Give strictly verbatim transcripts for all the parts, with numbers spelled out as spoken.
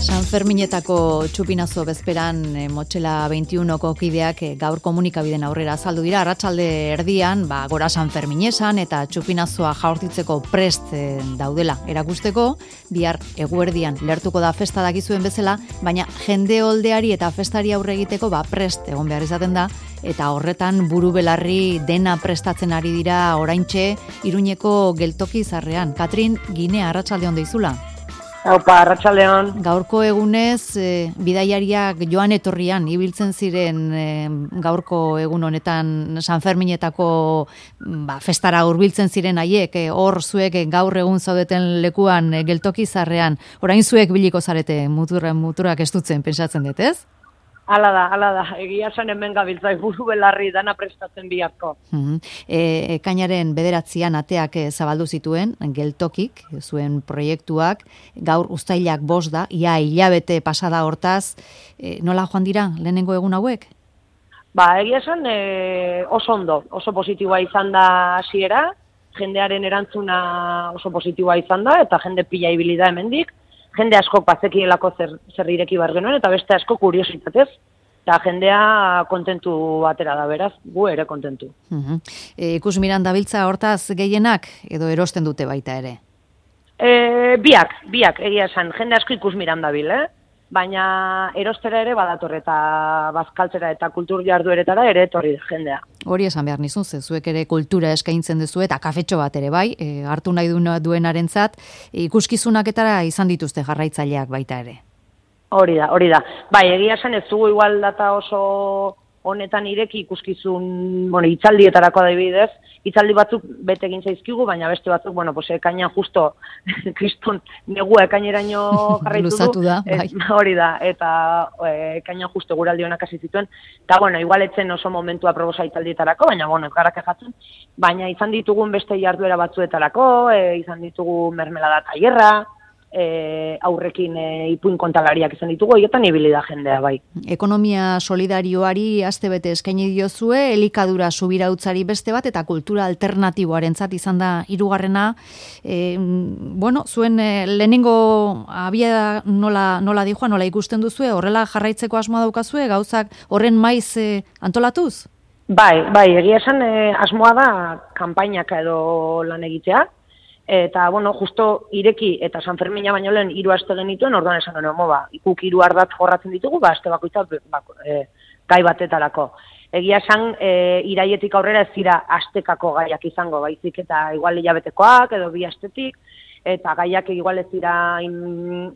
San Ferminetako txupinazo bezperan e, Motxela veintiunoko kideak e, gaur komunikabiden aurrera azaldu dira. Arratsalde erdian, ba, gora San Ferminesan eta txupinazoa jaurtitzeko prest e, daudela erakusteko, bihar eguerdian lertuko da festa dakizuen bezala, baina jende oldeari eta festari aurre egiteko ba, prest egon behar izaten da, eta horretan buru belarri dena prestatzen ari dira oraintxe Iruñeko geltoki zarrean. Katrin Ginea, arratsalde on deizula. Haupa, arratsaldeon. Gaurko egunez, e, bidaiariak joan etorrian ibiltzen ziren e, gaurko egun honetan San Ferminetako ba, festara hurbiltzen ziren haiek, e, hor zuek e, gaur egun zaudeten lekuan e, geltoki zarrean, orain zuek biliko zarete mutura, muturak estutzen, pensatzen dut, ez? Hala da, hala da, egia esan hemen gabiltzai buru belarri dana prestatzen biharko. Uh-huh. E, ekainaren bederatzian ateak e, zabaldu zituen, geltokik, zuen proiektuak, gaur uztailak bost da, ia hilabete pasada hortaz, e, nola joan dira lehenengo egun hauek? Ba, egia esan e, oso ondo, oso positiboa izan da hasiera, jendearen erantzuna oso positiboa izan da, eta jende pila ibili da hemendik. Jende asko bazekielako zer, zer ireki bar genuen, eta beste asko kuriositatez, eta jendea kontentu atera da, beraz, gu ere kontentu. Uh-huh. E, ikus miran dabiltza hortaz gehienak, edo erosten dute baita ere? E, biak, biak, egia esan, jende asko ikus miran dabil, eh? Baina erostera ere badator eta bazkaltzera eta kultur jardueretara ere etorri da jendea. Hori esan behar nizun, ze zuek ere kultura eskaintzen duzu eta kafetxo bat ere bai, e, hartu nahi duenarentzat, e, ikuskizunaketara izan dituzte jarraitzaileak baita ere. Hori da, hori da. Bai, egia esan ez dugu igual data oso honetan ireki ikuskizun, bueno, hitzaldietarako adibidez, hitzaldi batzuk bete egin zaizkigu, baina beste batzuk, bueno, pues ekainan justo kriston negua ekaineraino jarraitu du. Luzatu da, bai. Et, hori da, eta ekainan justo guraldi honak hasi zituen, eta bueno, igual etzen oso momentua proposa hitzaldietarako, baina bueno, ez gara kejatzen, baina izan ditugun beste jarduera batzuetarako, e, izan ditugu mermelada tailerra, E, aurrekin e, ipuin kontalariak izan ditugu, hietan ibili da jendea, bai. Ekonomia solidarioari astebete eskaini diozue, elikadura subirautzari beste bat, eta kultura alternatiboarentzat izan da hirugarrena. E, bueno, zuen e, lehenengo abia nola, nola dijoa, nola ikusten duzue, horrela jarraitzeko asmoa daukazue, gauzak horren maiz e, antolatuz? Bai, bai, egia esan e, asmoa da kanpainaka edo lan egitea, eta, bueno, justo ireki eta San Fermina baino lehen hiru aste genituen, orduan esan genuen, ba, ikuk hiru ardatz jorratzen ditugu, ba, aste bakoitza ba, e, gai batetarako. Egia esan, e, iraietik aurrera ez dira astekako gaiak izango, baizik eta igual hilabetekoak edo bi astetik, eta gaiak igual ez dira in,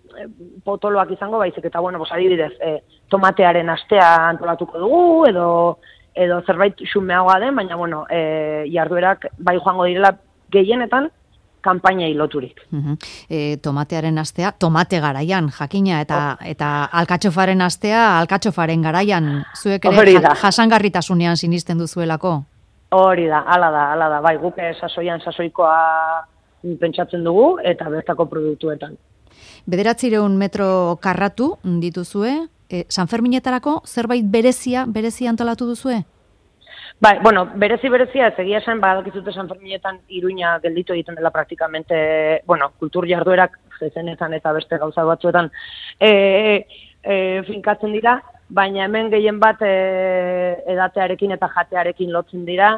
potoloak izango, baizik eta, bueno, bos, adibidez, e, tomatearen astea antolatuko dugu, edo, edo zerbait xumeagoa den, baina, bueno, e, jarduerak bai joango direla gehienetan, kanpainai loturik. Uh-huh. E, tomatearen astea, tomate garaian, jakina, eta oh. eta alkatxofaren astea, alkatxofaren garaian, zuek ere ja, jasangarritasunean sinisten duzuelako? Hori da, hala da, hala da, bai, guk sasoian sasoikoa pentsatzen dugu, eta bertako produktuetan. Bederatzireun metro karratu dituzue, e, San Ferminetarako zerbait berezia, berezia antolatu duzue? Bai, bueno, berezi berezia, ez egia esan, badakizute San Ferminetan Iruña gelditu egiten dela praktikamente, bueno, kultur jarduerak, zezenetan eta beste gauza batzuetan, e, e, finkatzen dira, baina hemen gehien bat e, edatearekin eta jatearekin lotzen dira,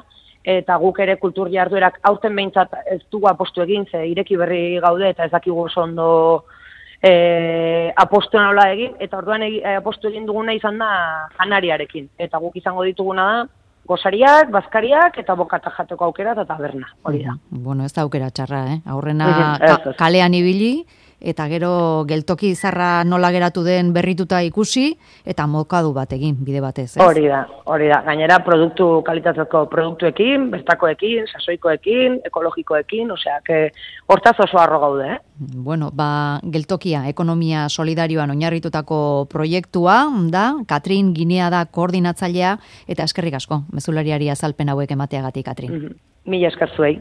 eta guk ere kultur jarduerak aurten behintzat ez dugu apostu egin, ze ireki berri gaude eta ez dakigu oso ondo e, apostu nola egin, eta orduan egi, apostu egin duguna izan da janariarekin, eta guk izango dituguna da, gozariak, bazkariak eta bokata jateko aukera eta taberna, hori da. Bueno, ez da aukera txarra, eh? Aurrena ka, kalean ibili, eta gero geltoki izarra nola geratu den berrituta ikusi, eta mokadu bat egin, bide batez, ez? Hori da, hori da. Gainera, produktu, kalitatezko produktuekin, bertakoekin, sasoikoekin, ekologikoekin, osea, que hortaz oso harro gaude, eh? Bueno, ba, geltokia, ekonomia solidarioan oinarritutako proiektua, da, Katrin Ginea da koordinatzailea, eta eskerrik asko, mezulariari azalpen hauek emateagatik, Katrin. Mm-hmm. Mila esker zuei.